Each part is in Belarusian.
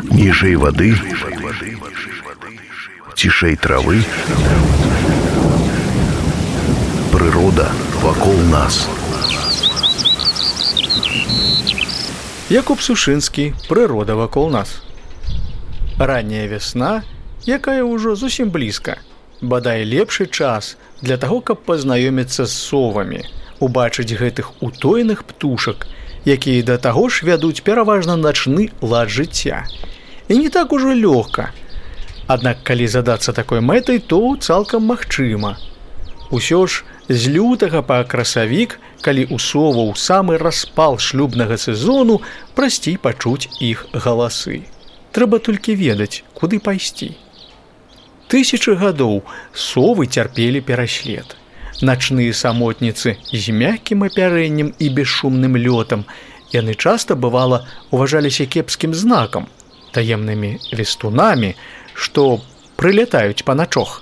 Ніжэй вады, цішэй травы, прырода вакол нас. Якуб Сушынскі, прырода вакол нас. Ранняя вясна, якая ўжо зусім блізка. Бадай лепшы час для таго, каб пазнаёміцца з совамі, убачыць гэтых утойных птушак, якія да таго ж вядуць пераважна начны лад жыцця. І не так ужо лёгка. Аднак, калі задацца такой мэтай, то цалкам магчыма. Усё ж з лютага па красавік, калі ў соваў самы распал шлюбнага сезону, прасцей пачуць іх галасы. Трэба толькі ведаць, куды пайсці. Тысячы гадоў совы цярпелі пераслед. Начныя самотніцы з мяккім апярэннем і бесшумным лётам, яны часта, бывала, уважаліся кепскім знакам, таемнымі лістунамі, што прылятаюць па начох,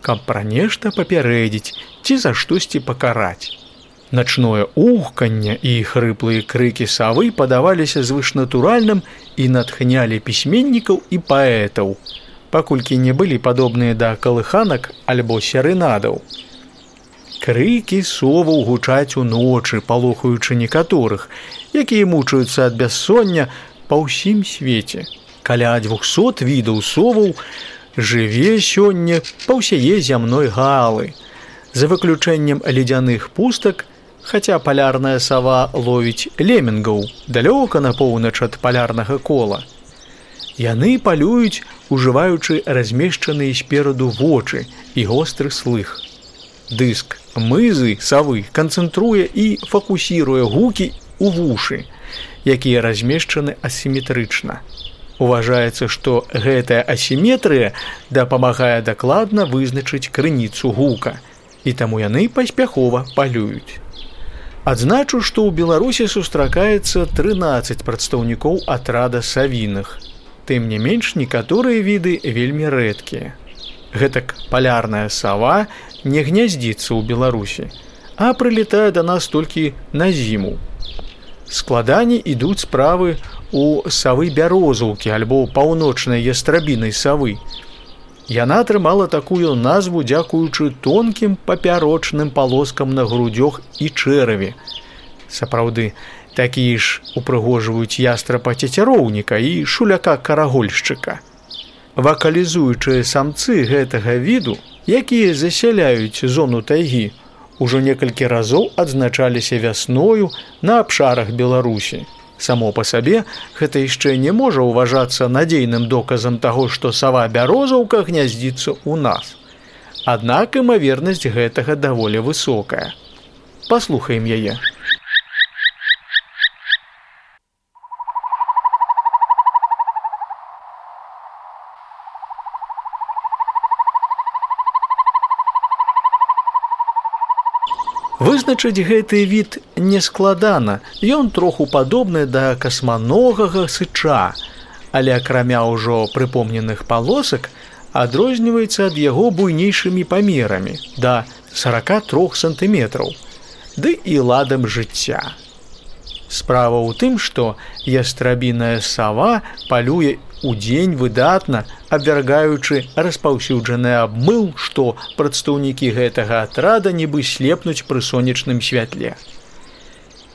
каб пра нешта папярэдзіць ці за штосьці пакараць. Начное ухканне і хрыплыя крыкі савы падаваліся звышнатуральным і натхнялі пісьменнікаў і паэтаў, паколькі не былі падобныя да калыханак альбо серэнадаў. Крыкі соваў гучаць уночы, палохаючы некаторых, якія мучаюцца ад бяссоння па ўсім свеце. Каля 200 відаў соваў жыве сёння па ўсяе зямной галы. За выключэннем ледзяных пустак, хаця палярная сава ловіць лемінгаў далёка на поўнач ад палярнага кола. Яны палююць, ужываючы размешчаныя спераду вочы і востры слых. Дыск мызы савы канцэнтруе і фокусіруе гукі ў вушы, якія размешчаны асіметрычна. Уважаецца, што гэтая асіметрыя дапамагае дакладна вызначыць крыніцу гука, і таму яны паспяхова палююць. Адзначу, што ў Беларусі сустракаецца 13 прадстаўнікоў атрада савіных. Тым не менш, некаторыя віды вельмі рэдкія. Гэтак палярная сава не гняздзіцца ў Беларусі, а прылетае да нас толькі на зіму. Складаней ідуць справы у савы бярозаўкі альбо паўночнай ястрабінай савы. Яна атрымала такую назву дзякуючы тонкім папярочным палоскам на грудзях і чэраве. Сапраўды, такія ж упрыгожваюць ястрапа-цецяроўніка і шуляка-карагольшчыка. Вакалізуючыя самцы гэтага віду, якія засяляюць зону тайгі, ужо некалькі разоў адзначаліся вясною на абшарах Беларусі. Само па сабе гэта яшчэ не можа ўважацца надзейным доказам таго, што сава-бярозаўка гняздзіцца ў нас. Аднак імавернасць гэтага даволі высокая. Паслухаем яе. Вызначыць гэты від нескладана, ён троху падобны да касманогага сыча, але акрамя ўжо прыпомненых палосак адрозніваецца ад яго буйнейшымі памерамі, да 43 сантыметраў, ды і ладам жыцця. Справа ў тым, што ястрабіная сава палюе удзень выдатна, абвяргаючы распаўсюджаны абмыл, што прадстаўнікі гэтага атрада нібы слепнуць пры сонечным святле.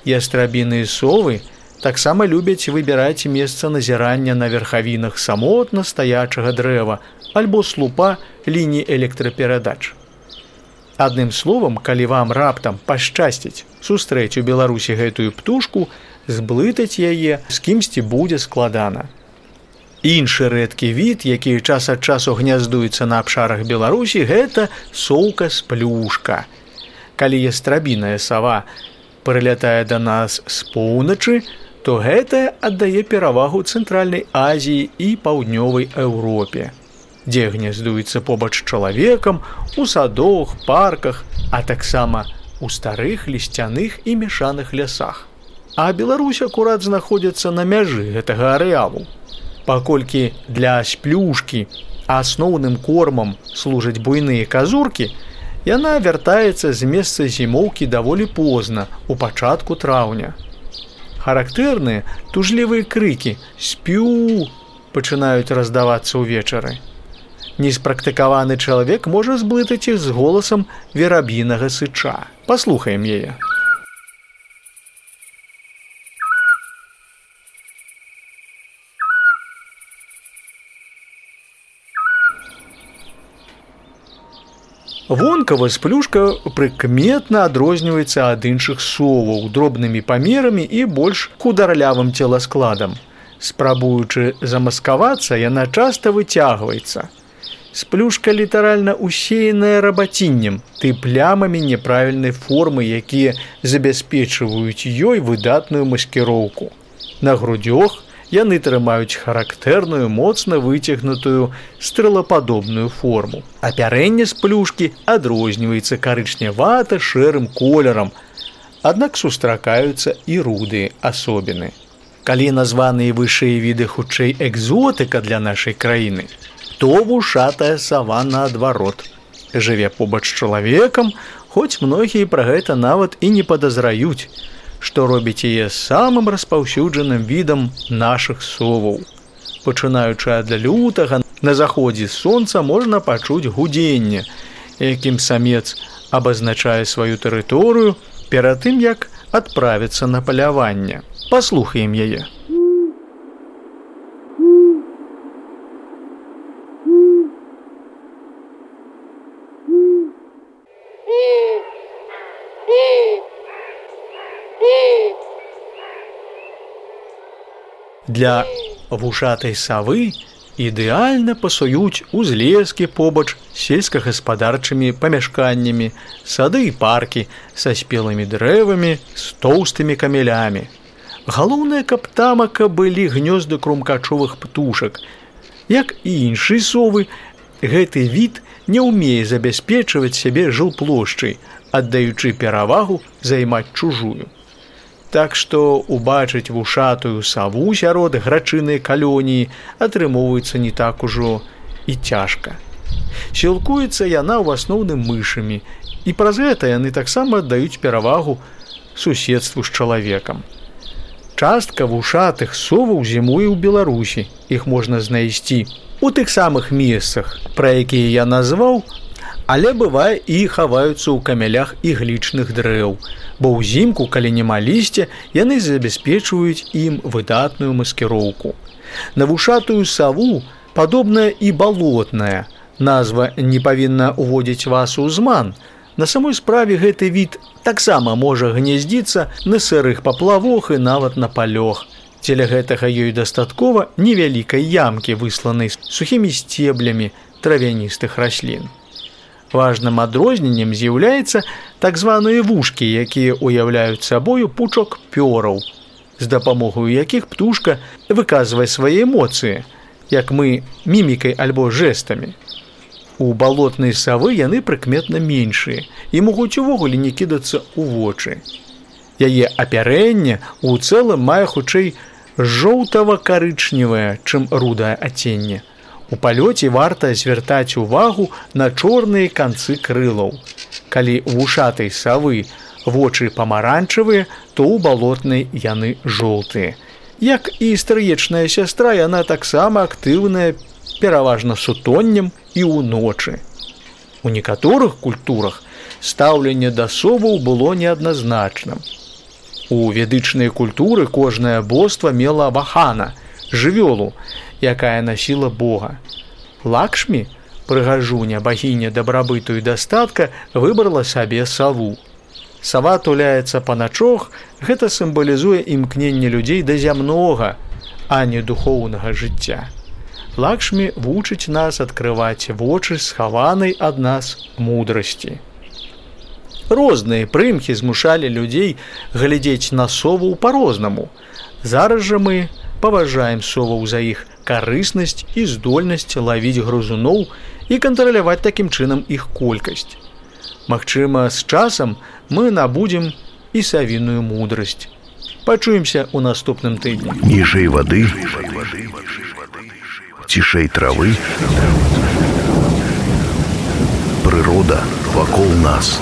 Ястрабіныя совы таксама любяць выбіраць месца назірання на верхавінах самотна стаячага дрэва альбо слупа лініі электраперадач. Адным словам, калі вам раптам пашчасціць сустрэць у Беларусі гэтую птушку, зблытаць яе з кімсьці будзе складана. Іншы рэдкі від, які час ад часу гняздуецца на абшарах Беларусі, гэта соўка-сплюшка. Калі ястрабіная сава прылятае да нас з поўначы, то гэтая аддае перавагу Цэнтральнай Азіі і Паўднёвай Еўропе, дзе гняздуецца побач з чалавекам, у садах, парках, а таксама у старых лісцяных і мяшаных лясах. А Беларусь акурат знаходзіцца на мяжы гэтага арэалу. Паколькі для сплюшкі асноўным кормам служаць буйныя казуркі, яна вяртаецца з месца зімоўкі даволі позна, у пачатку траўня. Характэрныя тужлівыя крыкі «спю» пачынаюць раздавацца ўвечары. Неспрактыкаваны чалавек можа зблытаць іх з голасам вераб'інага сыча. Паслухаем яе. Вонкава сплюшка прыкметна адрозніваецца ад іншых соваў дробнымі памерамі і больш хударлявым целаскладам. Спрабуючы замаскавацца, яна часта выцягваецца. Сплюшка літаральна усеяная рабаціннем, ты плямамі няправільнай формы, якія забяспечваюць ёй выдатную маскіроўку. На грудзях яны трымаюць характэрную, моцна выцягнутую стрэлападобную форму. Апярэнне сплюшкі адрозніваецца карычнявата-шэрым колерам, аднак сустракаюцца і рудыя асобіны. Калі названыя вышэй віды хутчэй экзотыка для нашай краіны, то вушатая сава наадварот. Жыве побач з чалавекам, хоць многія пра гэта нават і не падазраюць, што робіць яе самым распаўсюджаным відам нашых соваў. Пачынаючы ад лютага, на заходзе сонца можна пачуць гудзенне, якім самец абазначае сваю тэрыторыю перад тым, як адправіцца на паляванне. Паслухаем яе. Для вушатай савы ідэальна пасуюць узлескі побач з сельскагаспадарчымі памяшканнямі, сады і паркі са спелымі дрэвамі, з тоўстымі камелямі. Галоўнае, каб тамака былі гнёзды крумкачовых птушак. Як і іншыя совы, гэты від не ўмее забяспечваць сябе жылплошчай, аддаючы перавагу займаць чужую. Так што убачыць вушатую саву сярод грачынай калоніі атрымоўваецца не так ужо і цяжка. Сілкуецца яна ў асноўным мышамі, і праз гэта яны таксама аддаюць перавагу суседству з чалавекам. Частка вушатых соваў зімуе ў Беларусі. Іх можна знайсці у тых самых месцах, пра якія я назваў, але бывае і хаваюцца ў камелях іглічных дрэў, бо ўзімку, калі няма лісця, яны забяспечваюць ім выдатную маскіроўку. На вушатую саву падобная і балотная. Назва не павінна ўводзіць вас у зман. На самой справе гэты від таксама можа гнездзіцца на сырых паплавах і нават на палёх. Дзеля гэтага ёй дастаткова невялікай ямкі, высланай сухімі сцеблямі травяністых раслін. Важным адрозненнем з'яўляецца так званыя вушкі, якія ўяўляюць сабою пучок пёраў, з дапамогаю якіх птушка выказвае свае эмоцыі, як мы мімікай альбо жэстамі. У балотнай савы яны прыкметна меншыя і могуць увогуле не кідацца ў вочы. Яе апярэнне ў цэлым мае хутчэй жоўтава-карычневае, чым рудае адценне. У палёце варта звяртаць увагу на чорныя канцы крылаў. Калі у вушатай савы вочы памаранчавыя, то ў балотнай яны жоўтыя. Як і стрыечная сястра, яна таксама актыўная, пераважна сутоннем і ўночы. У некаторых культурах стаўленне да соваў было неадназначным. У ведычнай культуры кожнае боства мела вахана, жывёлу, якая насіла Бога. Лакшмі, прыгажуня, багіня дабрабыту і дастатка, выбрала сабе саву. Сава туляецца па начох, гэта сімвалізуе імкненне людзей да зямнога, а не духоўнага жыцця. Лакшмі вучыць нас адкрываць вочы схаванай ад нас мудрасці. Розныя прымхі змушалі людзей глядзець на соваў па-рознаму. Зараз жа мы паважаем соваў за іх карыснасць і здольнасць лавіць грызуноў і кантраляваць такім чынам іх колькасць. Магчыма, з часам мы набудзем і савіную мудрасць. Пачуемся ў наступным тыдні. Ніжэй вады, цішэй травы, прырода вакол нас.